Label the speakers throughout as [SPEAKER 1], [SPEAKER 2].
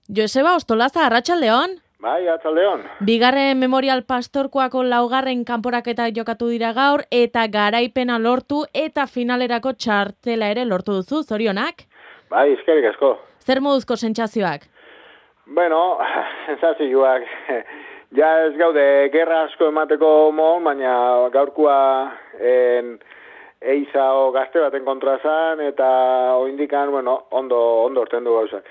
[SPEAKER 1] Joseba Ostolaza, arratsaldeon.
[SPEAKER 2] Bai, arratsaldeon.
[SPEAKER 1] Bigarren Memorial Pastorkoako laugarren kanporaketa jokatu dira gaur eta garaipena lortu eta finalerako txartela ere lortu duzu, zorionak?
[SPEAKER 2] Bai, eskerrik asko.
[SPEAKER 1] Zer moduzko sentsazioak?
[SPEAKER 2] Bueno, sentsazioak ja ez gaude gerra asko emateko mon, baina gaurkoa eiza o gazte baten kontra zan eta oindikan, bueno, ondo orten du gauzak.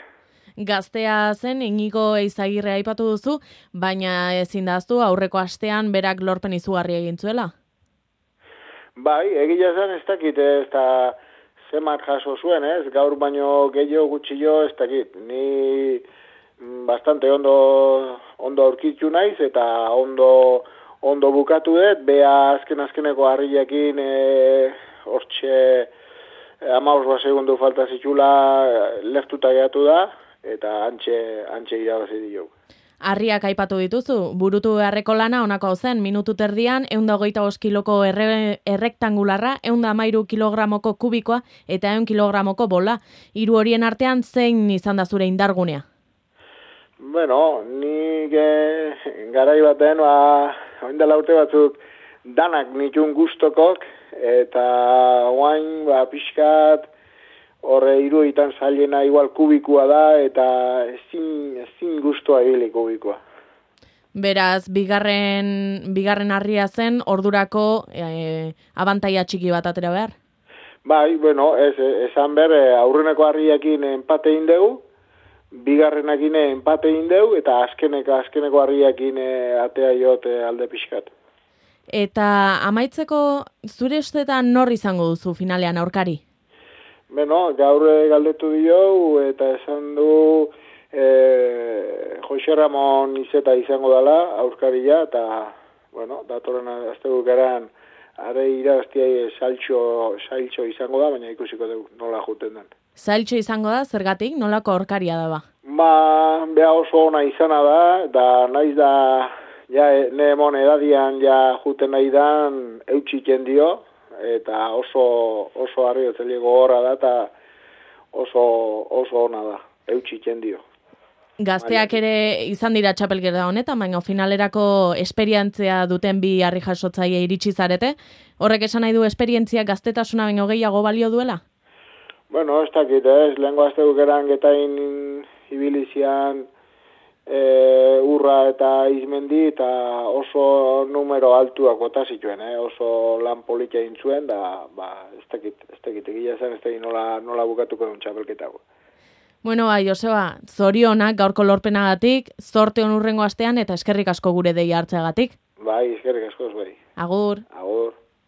[SPEAKER 1] Gaztea zen, Inigo Eizagirre aipatu duzu, baina ezin daztu aurreko astean berak lorpen izugarri egin zuela.
[SPEAKER 2] Bai, egia zen ez dakit, ez da zemat jaso zuen, ez? Gaur baino gehiago gutxillo ez dakit. Ni bastante ondo aurkitu naiz eta ondo bukatu dut, bea azkeneko harrilekin hortxe 15 segundu falta zitula leftuta geratu da, eta antxe irabazi dio.
[SPEAKER 1] Harriak aipatu dituzu, burutu beharreko lana honako zen, minutu terdian 125 kiloko errektangularra, 113 kilogramoko kubikoa eta 100 kilogramoko bola. Hiru horien artean zein izan da zure indargunea?
[SPEAKER 2] Bueno, nik garai baten, oin dela urte batzuk danak nitun gustokok, eta oain pixkat horre hiruetan zailena igual kubikoa da, eta ezin gustoa ibili kubikoa.
[SPEAKER 1] Beraz, bigarren harria zen, ordurako abantaia txiki bat atera behar?
[SPEAKER 2] Bai, bueno, esan aurreneko harriakin empate egin dugu, bigarrenakin empate egin dugu, eta azkeneko harriakin atea jot alde pixkat.
[SPEAKER 1] Eta amaitzeko zure ustetan nor izango duzu finalean aurkari?
[SPEAKER 2] Beno, gaur galdetu dio eta esan du Jose Ramon Izeta izango dela aurkaria eta, bueno, datorren astebukaran are irabaztia sailtxo izango da, baina ikusiko dugu nola juten den.
[SPEAKER 1] Sailtxo izango da, zergatik, nolako aurkaria da ba?
[SPEAKER 2] Beha oso ona izana da, eta naiz da, ja, nemon edadian ja juten nahi dan eutxiken dio, eta oso harriotzeliego horra da, eta oso ona da, eutxiken dio.
[SPEAKER 1] Gazteak ere izan dira txapelketa honetan, baina finalerako esperientzia duten bi harri jasotzaile iritsi zarete. Horrek esan nahi du esperientzia gaztetasuna baino gehiago balio duela?
[SPEAKER 2] Bueno, ez dakit, lehenko azte bukeran getain ibilizian urra eta izmendi, eta oso numero altuak bota zituen, oso lan politia intzuen, da, ez dakit, egia zen, ez dakit nola bukatuko duen txapelketago.
[SPEAKER 1] Bueno, Joseba, zorionak gaurko lorpenagatik, zorte on hurrengo astean eta eskerrik asko gure deia hartzeagatik.
[SPEAKER 2] Bai, eskerrik asko, bai.
[SPEAKER 1] Agur.
[SPEAKER 2] Agur.